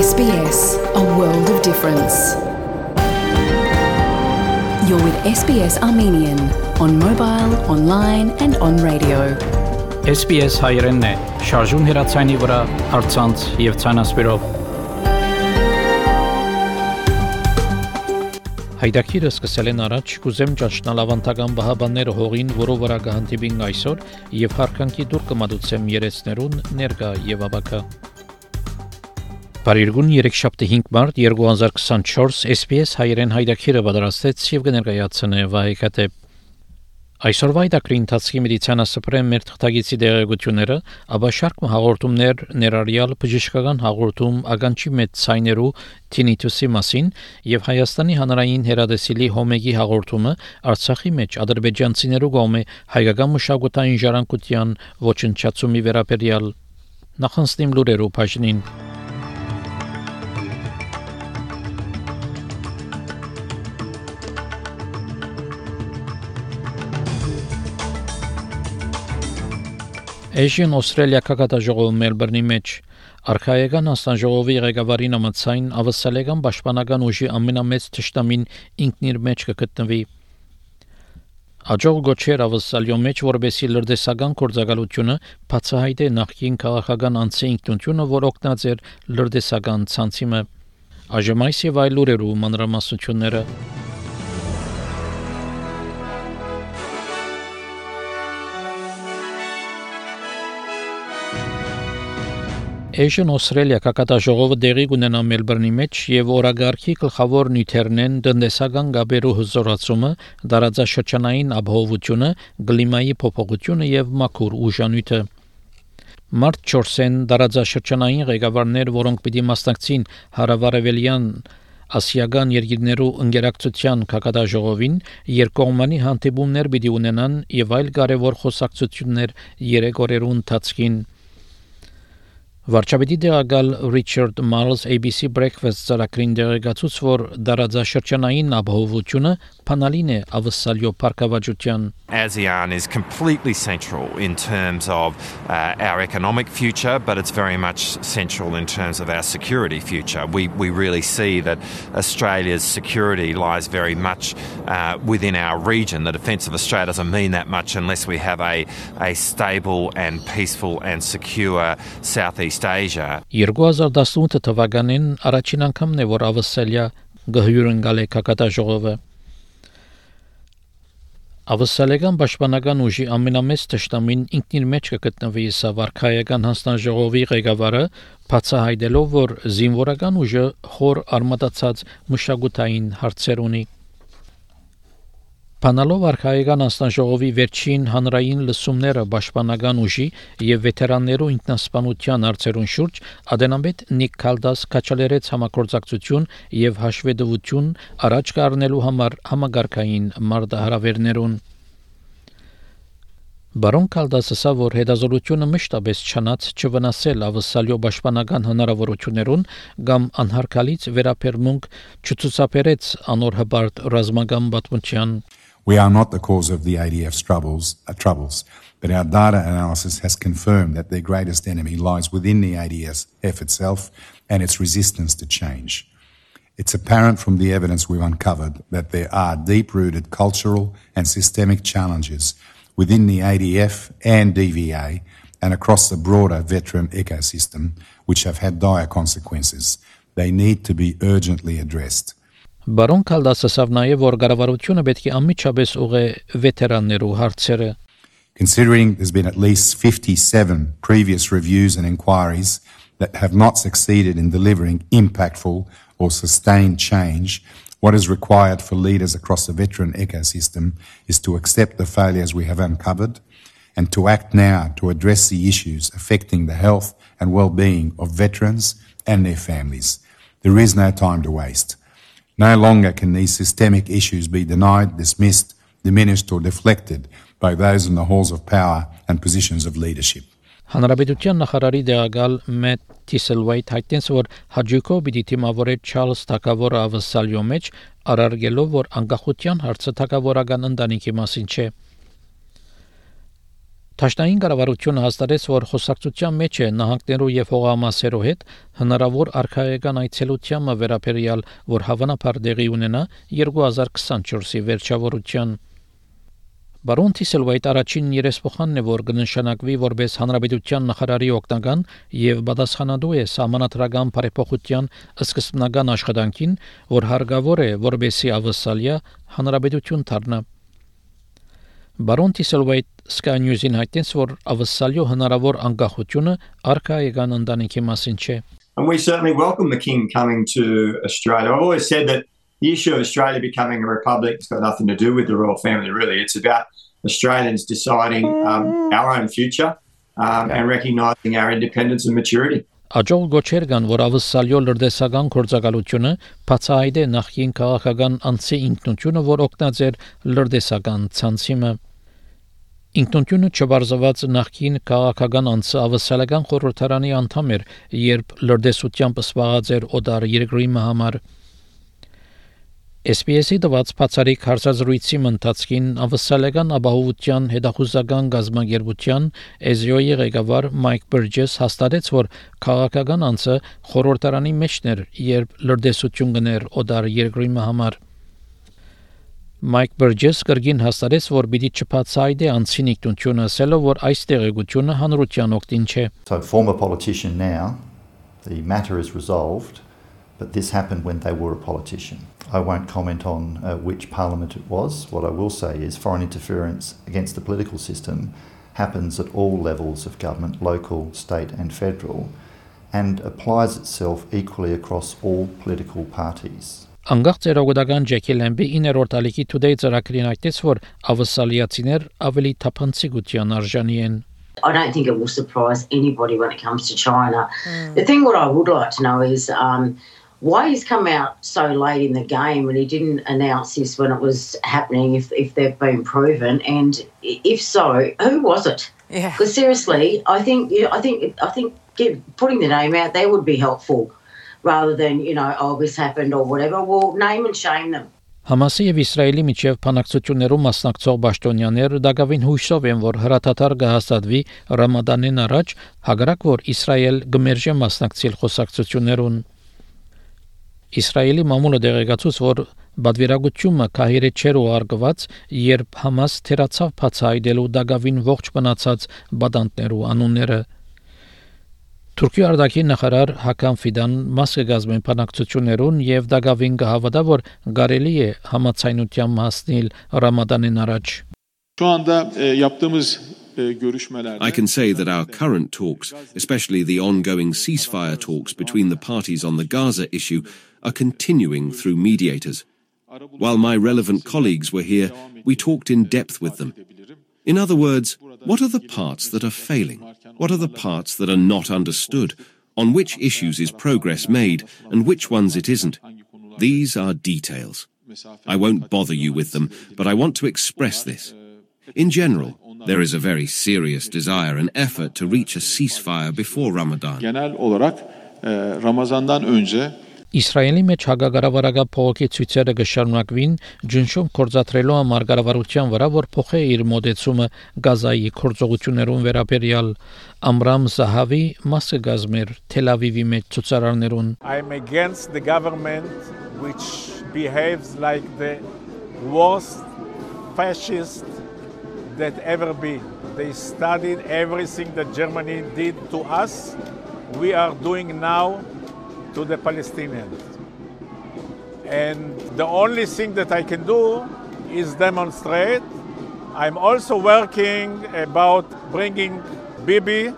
SBS, a world of difference. You're with SBS Armenian on mobile, online and on radio. SBS հայերենն է, շարժուն հեռացայինի վրա, առցանց եւ ցանասպիրով։ Հայդակիրը սկսել են առաջ, կուզեմ ճաշնալ ավանդական բահաբանները հողին, որով վրա կհանդիպին այսօր եւ հարկանքի դուր կմատուցեմ երեցներուն ներկա եւ ավակա։ Բարիրգուն 3-5 մարտ 2024 SBS հայերեն հայդակիրը պատրաստեց եւ կներկայացնե Վահեկատե։ Այսօրվա հայդակրի ընթացքի մեդիցինասպրեմ մեր թղթագիտի դերակատարությունները, ապա շարք հաղորդումներ ներառյալ բժշկական հաղորդում ագանչի մեծ ցայներու tinnitus-ի մասին եւ Հայաստանի հանրային հեռադեսիլի հոմեգի հաղորդումը Արցախի մեջ ադրբեջանցիներու կողմէ հայկական մշակութային ժառանգության ոչնչացումի վերաբերյալ նախանցնիմ լուրերու բաժնին։ Asian Australia կակատաժողովը Մելբուրնի մեջ արխայական հանձնաժողովի ղեկավարի նամացային ավսալեգան պաշտպանական ուժի ամենամեծ թշնամին ինքն իր մեջ կգտնվի։ Աջող գոչեր ավսալյո մեջ որբեսի լրտեսական գործակալությունը բացահայտ է նախկին քաղաքական անձի ինքնությունը, որ օգնած էր լրտեսական ցանցիմը։ Այժմ այս եւ այլ լուրերու մանրամասնությունները Asian Australia կակատաժողովը դեղի կունենա Մելբուրնի մեջ եւ օրագարկի գլխավոր նյութերն են տնտեսական գաբերու հզորացումը, դարաձաշրջանային ապահովությունը, կլիմայի փոփոխությունը եւ մաքուր ուժանյութը։ Մարտ 4-ին դարաձաշրջանային ղեկավարներ, որոնք պիտի մասնակցին հարավարևելյան ասիական երկրներու ընկերակցության կակատաժողովին, երկկողմանի հանդիպումներ պիտի ունենան եւ այլ կարեւոր խոսակցություններ 3 օրերու ընթացքին։ Վարչապետի դեղակալ Richard Marles ABC Breakfast ծրագրին դեղեկացուց, որ դարաձաշրջանային ապահովությունը փանալին է ավսալյո պարկավաճության։ ASEAN is completely central in terms of our economic future, but it's very much central in terms of our security future. We really see that Australia's security lies very much within our region. The defence of Australia doesn't mean that much unless we have a stable and peaceful and secure Southeast Asia. 2018 թվականին առաջին անգամն է, որ ավսալիա գհյուրընկալ է կակատաժողովը։ Ավսալեգան պաշտպանական ուժի ամենամեծ թշնամին ինքն իր մեջ կգտնվի սա վարքայական հանձնաժողովի ղեկավարը բացահայտելով, որ զինվորական ուժը խոր արմատացած մշակութային հարցեր ունի։ Փանալով արխայական հանձնաժողովի վերջին հանրային լսումները պաշտպանական ուժի եւ վետերաններու ինքնասպանության հարցերուն շուրջ ադենամետ Նիկ Քալդաս կաչալերեց համագործակցություն եւ հաշվետվություն առաջ կառնելու համար համագարկային մարտահրավերներուն։ Բարոն Քալդասը ասա, որ հետազոտությունը մշտապես չնած չվնասել ավսալյո պաշտպանական հնարավորություններուն կամ անհարկալից վերապերմունք չցուցաբերեց անոր հբարտ ռազմական պատմության։ We are not the cause of the ADF's troubles, but our data analysis has confirmed that their greatest enemy lies within the ADF itself and its resistance to change. It's apparent from the evidence we've uncovered that there are deep-rooted cultural and systemic challenges within the ADF and DVA and across the broader veteran ecosystem which have had dire consequences. They need to be urgently addressed. Բարոն Քալդասը ասավ նաև, որ կառավարությունը պետք է անմիջապես ուղղի վետերաններու հարցերը։ Considering there's been at least 57 previous reviews and inquiries that have not succeeded in delivering impactful or sustained change, what is required for leaders across the veteran ecosystem is to accept the failures we have uncovered and to act now to address the issues affecting the health and well-being of veterans and their families. There is no time to waste. No longer can these systemic issues be denied, dismissed, diminished or deflected by those in the halls of power and positions of leadership. Հանրապետության նախարարի դեղակալ Մեթ Թիսելվայթ հայտնեց, որ հաջուկով պիտի թիմավորե Չարլզ Թակավորը ավսալյո մեջ, արարգելով, որ անկախության հարցը թակավորական ընտանիքի մասին չէ։ Թաշնային կառավարությունը հաստատեց, որ խոսակցության մեջ է նահանգներու եւ հողամասերու հետ հնարավոր արխայական այցելությանը վերաբերյալ, որ հավանաբար դեղի ունենա 2024-ի վերջավորության։ Բարոն Թիսելվայտ առաջին երեսփոխանն է, որ կնշանակվի որպես հանրապետության նախարարի օգնական եւ պատասխանատու է համանատրական բարեփոխության սկզբնական աշխատանքին, որ հարգավոր է որպեսի ավսալիա հանրապետություն դառնա։ Բարոն Թիսելվայտ Sky News-ին հայտնեց, որ ավսալյո հնարավոր անկախությունը արխայական ընտանիքի մասին չէ։ And we certainly welcome the King coming to Australia. I've always said that the issue of Australia becoming a republic has got nothing to do with the royal family, really. It's about Australians deciding our own future and recognising our independence and maturity. Աջող գոչեր կան, որ ավսալյո լրտեսական գործակալությունը բացահայտ է նախկին քաղաքական անձի ինքնությունը, որ օգնած էր լրտեսական ցանցիմը։ Ինքնությունը չբարձված նախկին քաղաքական անձը ավսալական խորհրդարանի անդամ էր, երբ լրտեսությամբ սպառած էր օտար երկրի համար։ SPS-ի դված բացառիկ հարցազրույցի ընթացքին ավսալական ապահովության հետախուզական գազագերբության EZO-ի ղեկավար Մայք Բերջես հաստատեց, որ քաղաքական անձը խորհրդարանի մեջն էր, երբ լրտեսություն գներ օտար երկրի համար։ Մայք Բերջես կրկին հաստատեց, որ պիտի չբացահայտի անձին ինքնությունը, ասելով, որ այս տեղեկությունը հանրության օգտին չէ։ So former politician now, the matter is resolved, but this happened when they were a politician. I won't comment on which parliament it was. What I will say is foreign interference against the political system happens at all levels of government, local, state and federal, and applies itself equally across all political parties. Անգախ ծերոգոդական Ջեքի Լեմբի 9-րդ ալիքի Today ծրագրին այդտես, որ ավսալիացիներ ավելի թափանցիկության արժանի են։ I don't think it will surprise anybody when it comes to China. The thing what I would like to know is why he's come out so late in the game and he didn't announce this when it was happening, if they've been proven, and if so, who was it? Yeah. Because seriously, I think putting the name out there would be helpful, rather than oh, this happened or whatever. Well, name and shame them. Համասի եւ Իսրայելի միջև բանակցություններում մասնակցող պաշտոնյաները դակավին հույսով են, որ հրաթաթար կհաստատվի Ռամադանին առաջ, հակառակ որ Իսրայել կմերժի մասնակցել խոսակցություններուն։ Իսրայելի մամուլը դեղեկացուց, որ բادرագությունը քահիրե չեր ուղարկված, երբ Համաս թերացավ բացահայտելու դակավին ողջ մնացած բադանտներու անունները։ Թուրքիա արտաքին նախարար Հական Ֆիդան մաս կգազմեն բանակցություններուն եւ դակավին կհավատա, որ կարելի է համացայնության հասնել Ռամադանին առաջ։ I can say that our current talks, especially the ongoing ceasefire talks between the parties on the Gaza issue, are continuing through mediators. While my relevant colleagues were here, we talked in depth with them. In other words, what are the parts that are failing? What are the parts that are not understood? On which issues is progress made and which ones it isn't? These are details. I won't bother you with them, but I want to express this. In general, there is a very serious desire and effort to reach a ceasefire before Ramadan. Իսրայելի մեջ հագագարավարական փողոքի ցույցերը կշարունակվին, ջնշում կորզատրելու համար կառավարության վրա, որ փոխե իր մոդեցումը Գազայի կորձողություններուն վերաբերյալ։ Ամրամ Զահավի մասը գազմեր Թել Ավիվի մեջ ցուցարարներուն։ I'm against the government which behaves like the worst fascist that ever be. They studied everything that Germany did to us. We are doing now to the Palestinians. And the only thing that I can do is demonstrate. I'm also working about bringing Bibi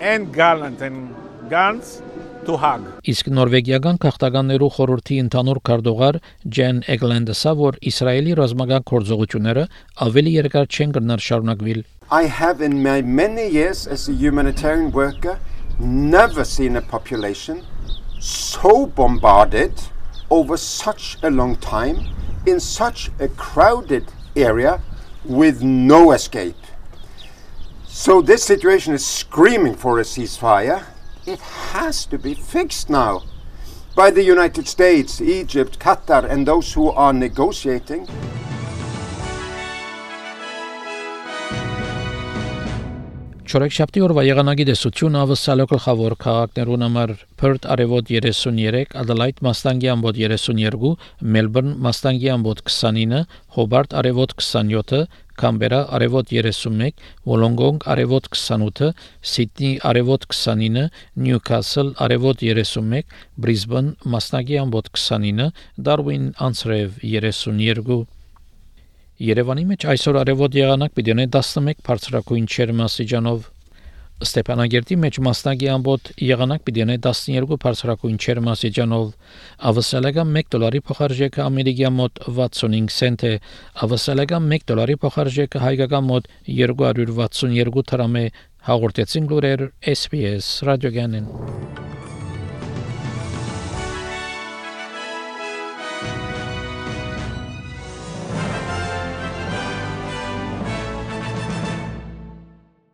and Gallant and Gantz to Hague. Իսկ նորվեգիական քաղաքականներու խորհրդի ընդհանուր քարտուղար Ջեն Էգլանդը ասա, որ Իսրայելի ռազմական գործողությունները ավելի երկար չեն կրնար շարունակվել։ I have in my many years as a humanitarian worker never seen a population so bombarded over such a long time in such a crowded area with no escape. So this situation is screaming for a ceasefire. It has to be fixed now by the United States, Egypt, Qatar, and those who are negotiating. Չորեքշաբթի օրվա եղանակի տեսությունը ավսալո գլխավոր քաղաքներուն համար Perth արևոտ 33, Adelaide մաստանգի ամբոտ 32, Melbourne մաստանգի ամբոտ 29, Hobart արևոտ 27, Canberra արևոտ 31, Wollongong արևոտ 28, Sydney արևոտ 29, Newcastle արևոտ 31, Brisbane մաստանգի ամբոտ 29, Darwin անցրև 32 Երևանի մեջ այսօր արևոտ եղանակ պիտի ունենա 11 բարձրակույն ջերմաստիճանով Ստեփանագերտի մեջ մասնագի ամբոտ եղանակ պիտի ունենա 12 բարձրակույն ջերմաստիճանով ավսալական $1 փոխարժեքը ամերիկյան մոտ 65 سنت է ավսալական $1 փոխարժեքը հայկական մոտ 262 դրամ է հաղորդեցին լուրեր SPS ռադիոգանեն